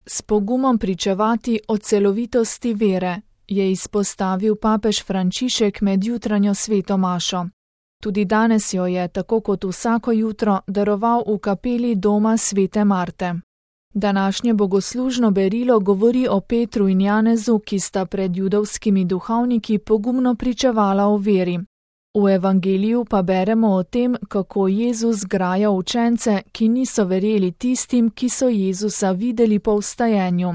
S pogumom pričevati o celovitosti vere, je izpostavil papež Frančišek med jutranjo sveto mašo. Tudi danes jo je, tako kot vsako jutro, daroval v kapeli doma svete Marte. Današnje bogoslužno berilo govori o Petru in Janezu, ki sta pred judovskimi duhovniki pogumno pričevala o veri. V evangeliju pa beremo o tem, kako Jezus graja učence, ki niso verjeli tistim, ki so Jezusa videli po vstajenju.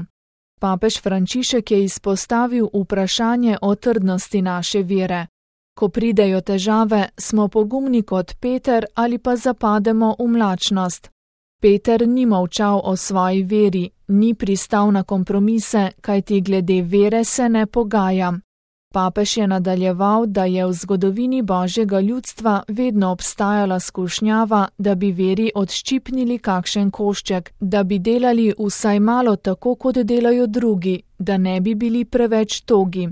Papež Frančišek je izpostavil vprašanje o trdnosti naše vere. Ko pridejo težave, smo pogumni kot Peter ali pa zapademo v mlačnost. Peter ni molčal o svoji veri, ni pristal na kompromise, kajti glede vere se ne pogaja. Papež je nadaljeval, da je v zgodovini Božjega ljudstva vedno obstajala skušnjava, da bi veri odščipnili kakšen košček, da bi delali vsaj malo tako, kot delajo drugi, da ne bi bili preveč togi.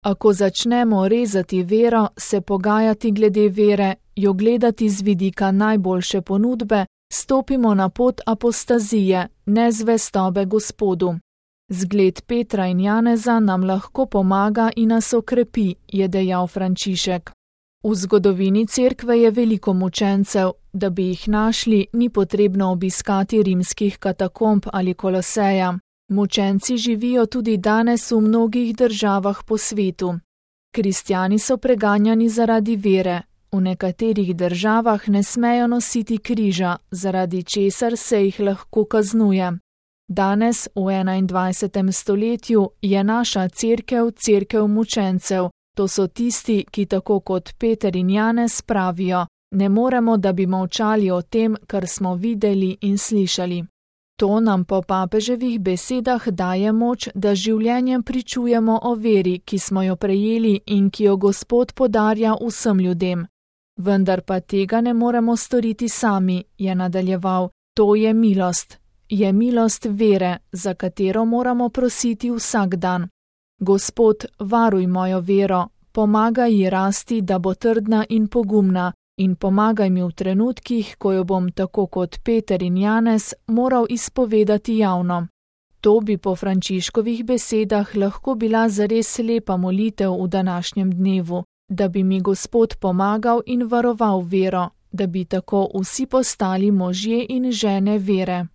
A ko začnemo rezati vero, se pogajati glede vere, jo gledati z vidika najboljše ponudbe, stopimo na pot apostazije, nezvestobe Gospodu. Zgled Petra in Janeza nam lahko pomaga in nas okrepi, je dejal Frančišek. V zgodovini cerkve je veliko mučencev, da bi jih našli, ni potrebno obiskati rimskih katakomb ali Koloseja. Mučenci živijo tudi danes v mnogih državah po svetu. Kristjani so preganjani zaradi vere, v nekaterih državah ne smejo nositi križa, zaradi česar se jih lahko kaznuje. Danes, v 21. stoletju, je naša cerkev cerkev mučencev. To so tisti, ki tako kot Peter in Janez pravijo, ne moremo, da bi molčali o tem, kar smo videli in slišali. To nam po papeževih besedah daje moč, da življenjem pričujemo o veri, ki smo jo prejeli in ki jo Gospod podarja vsem ljudem. Vendar pa tega ne moremo storiti sami, je nadaljeval, to je milost. Je milost vere, za katero moramo prositi vsak dan. Gospod, varuj mojo vero, pomagaj ji rasti, da bo trdna in pogumna, in pomagaj mi v trenutkih, ko jo bom tako kot Peter in Janez moral izpovedati javno. To bi po Frančiškovih besedah lahko bila zares lepa molitev v današnjem dnevu, da bi mi Gospod pomagal in varoval vero, da bi tako vsi postali možje in žene vere.